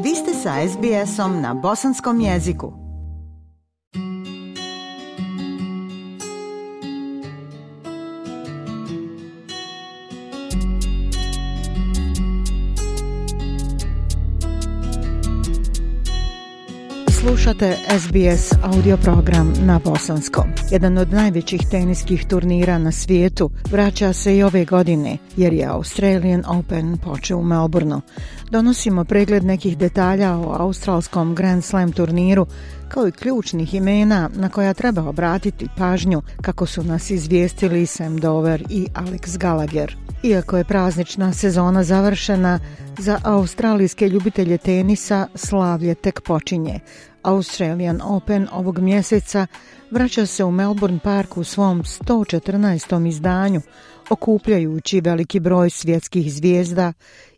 Vi ste sa SBS-om na bosanskom jeziku. Slušate SBS audio program na bosanskom. Jedan od najvećih teniskih turnira na svijetu vraća se i ove godine, jer je Australian Open počeo u Melbourneu. Donosimo pregled nekih detalja o australskom Grand Slam turniru, kao i ključnih imena na koja treba obratiti pažnju, kako su nas izvijestili Sam Dover i Alex Gallagher. Iako je praznična sezona završena, za australijske ljubitelje tenisa slavlje tek počinje. Australian Open ovog mjeseca vraća se u Melbourne Park u svom 114. izdanju, okupljajući veliki broj svjetskih zvijezda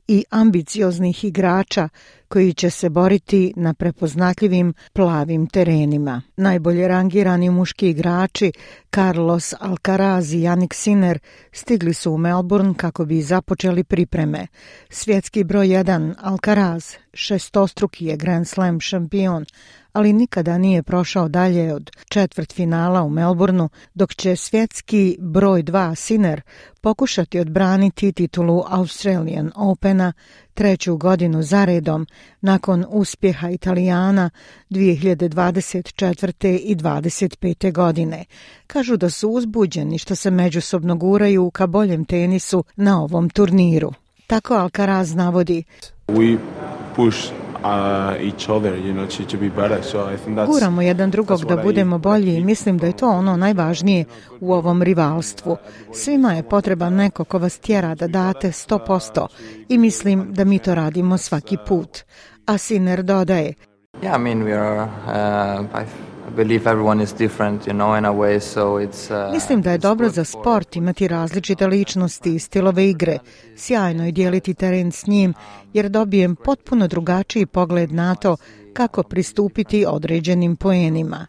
i ambicioznih igrača koji će se boriti na prepoznatljivim plavim terenima. Najbolje rangirani muški igrači Carlos Alcaraz i Jannik Sinner stigli su u Melbourne kako bi započeli pripreme. Svjetski broj 1 Alcaraz šestostruki je Grand Slam šampion, ali nikada nije prošao dalje od četvrtfinala u Melbourneu, dok će svjetski broj 2 Sinner pokušati odbraniti titulu Australian Opena treću godinu zaredom nakon uspjeha Italijana 2024. i 2025. godine. Kažu da su uzbuđeni što se međusobno guraju ka boljem tenisu na ovom turniru. Tako Alcaraz navodi: Guramo jedan drugog da budemo bolji i mislim da je to ono najvažnije u ovom rivalstvu. Svima je potreban neko ko vas tjera da date 100% i mislim da mi to radimo svaki put. A Sinner dodaje: Mislim da je dobro za sport imati različite ličnosti i stilove igre. Sjajno je dijeliti teren s njim jer dobijem potpuno drugačiji pogled na to kako pristupiti određenim poenima.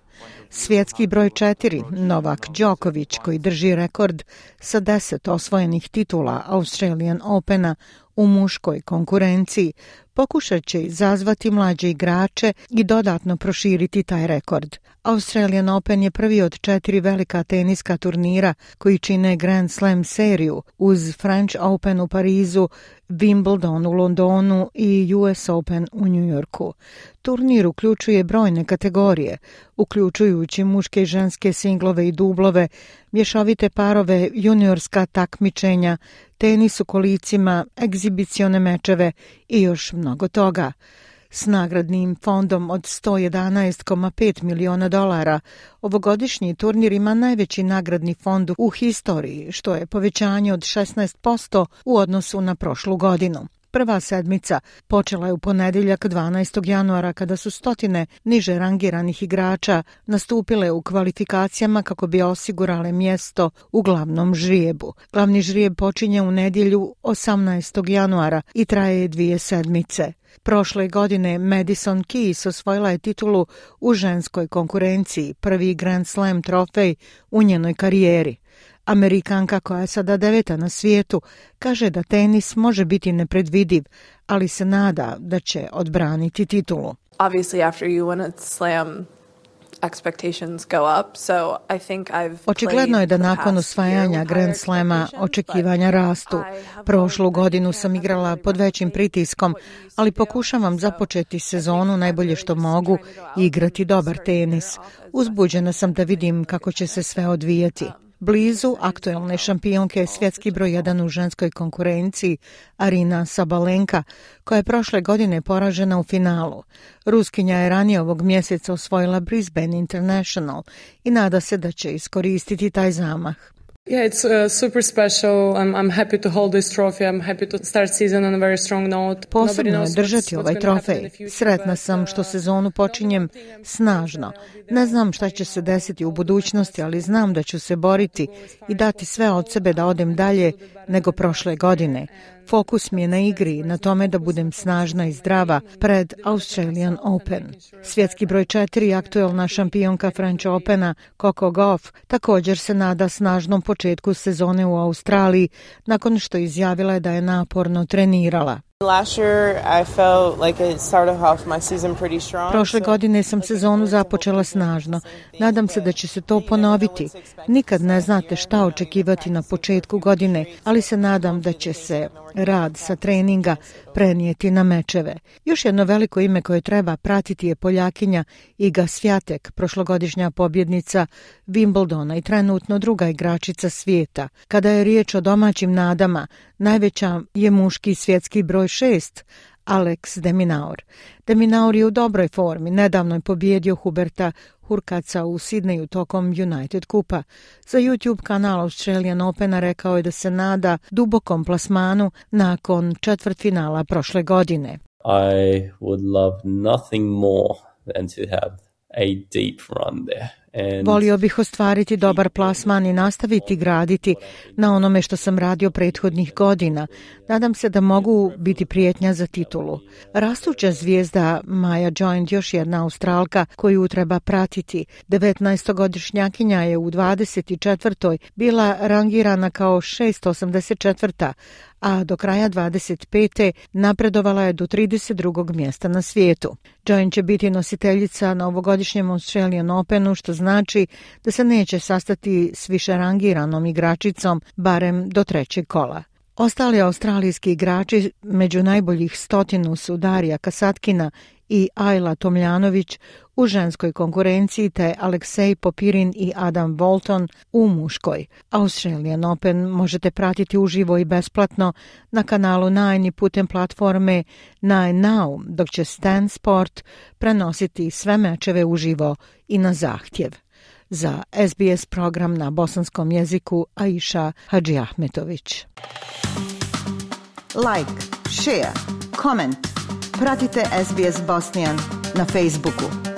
Svjetski broj 4 Novak Đoković, koji drži rekord sa 10 osvojenih titula Australian Opena u muškoj konkurenciji, pokušat će izazvati mlađe igrače i dodatno proširiti taj rekord. Australian Open je prvi od 4 velika teniska turnira koji čine Grand Slam seriju uz French Open u Parizu, Wimbledon u Londonu i US Open u New Yorku. Turnir uključuje brojne kategorije, uključujući muške i ženske singlove i dublove, mješovite parove, juniorska takmičenja, tenis u kolicima, egzibicione mečeve i još mnogo toga. S nagradnim fondom od $111,5 miliona, ovogodišnji turnir ima najveći nagradni fond u historiji, što je povećanje od 16% u odnosu na prošlu godinu. Prva sedmica počela je u ponedjeljak 12. januara kada su stotine niže rangiranih igrača nastupile u kvalifikacijama kako bi osigurale mjesto u glavnom žrijebu. Glavni žrijeb počinje u nedjelju 18. januara i traje 2 sedmice. Prošle godine Madison Keys osvojila je titulu u ženskoj konkurenciji, prvi Grand Slam trofej u njenoj karijeri. Amerikanka, koja je sada 9. na svijetu, kaže da tenis može biti nepredvidiv, ali se nada da će odbraniti titulu. Očigledno je da nakon osvajanja Grand Slama očekivanja rastu. Prošlu godinu sam igrala pod većim pritiskom, ali pokušavam započeti sezonu najbolje što mogu i igrati dobar tenis. Uzbuđena sam da vidim kako će se sve odvijati. Blizu aktuelne šampionke je svjetski broj 1 u ženskoj konkurenciji Arina Sabalenka, koja je prošle godine poražena u finalu. Ruskinja je ranije ovog mjeseca osvojila Brisbane International i nada se da će iskoristiti taj zamah. Yeah, it's super special. I'm happy to hold this trophy. I'm happy to start season on a very strong note. Posebno je držati ovaj trofej. Sretna sam što sezonu počinjem snažno. Ne znam šta će se desiti u budućnosti, ali znam da ću se boriti i dati sve od sebe da odem dalje nego prošle godine. Fokus mi je na igri, na tome da budem snažna i zdrava pred Australian Open. Svjetski broj 4, aktuelna šampionka French Opena Coco Gauff, također se nada snažnom početku sezone u Australiji nakon što izjavila je da je naporno trenirala. Prošle godine sam sezonu započela snažno. Nadam se da će se to ponoviti. Nikad ne znate šta očekivati na početku godine, ali se nadam da će se rad sa treninga prenijeti na mečeve. Još jedno veliko ime koje treba pratiti je Poljakinja Iga Swiatek, prošlogodišnja pobjednica Wimbledona i trenutno druga igračica svijeta. Kada je riječ o domaćim nadama, najveća je muški svjetski broj 6, Alex de Minaur. De Minaur je u dobroj formi, nedavno je pobijedio Huberta Hurkacza u Sidneju tokom United Kupa. Za YouTube kanal Australian Opena rekao je da se nada dubokom plasmanu nakon četvrtfinala prošle godine. I would love nothing more than to have a deep run there. Volio bih ostvariti dobar plasman i nastaviti graditi na onome što sam radio prethodnih godina. Nadam se da mogu biti prijetnja za titulu. Rastuća zvijezda Maja Joint, još jedna Australka koju treba pratiti. 19-godišnjakinja je u 24. bila rangirana kao 684. a do kraja 25. napredovala je do 32. mjesta na svijetu. Joint će biti nositeljica na ovogodišnjem Australian Openu, što znači da se neće sastati s više rangiranom igračicom, barem do trećeg kola. Ostali australijski igrači među najboljih 100 su Darija Kasatkina i Ajla Tomljanović u ženskoj konkurenciji, te Aleksej Popirin i Adam Walton u muškoj. Australian Open možete pratiti uživo i besplatno na kanalu Nine i putem platforme Nine Now, dok će Stan Sport prenositi sve mečeve uživo i na zahtjev. Za SBS program na bosanskom jeziku Aisha Hadžiahmetović. Like, share, comment. Pratite SBS Bosnian na Facebooku.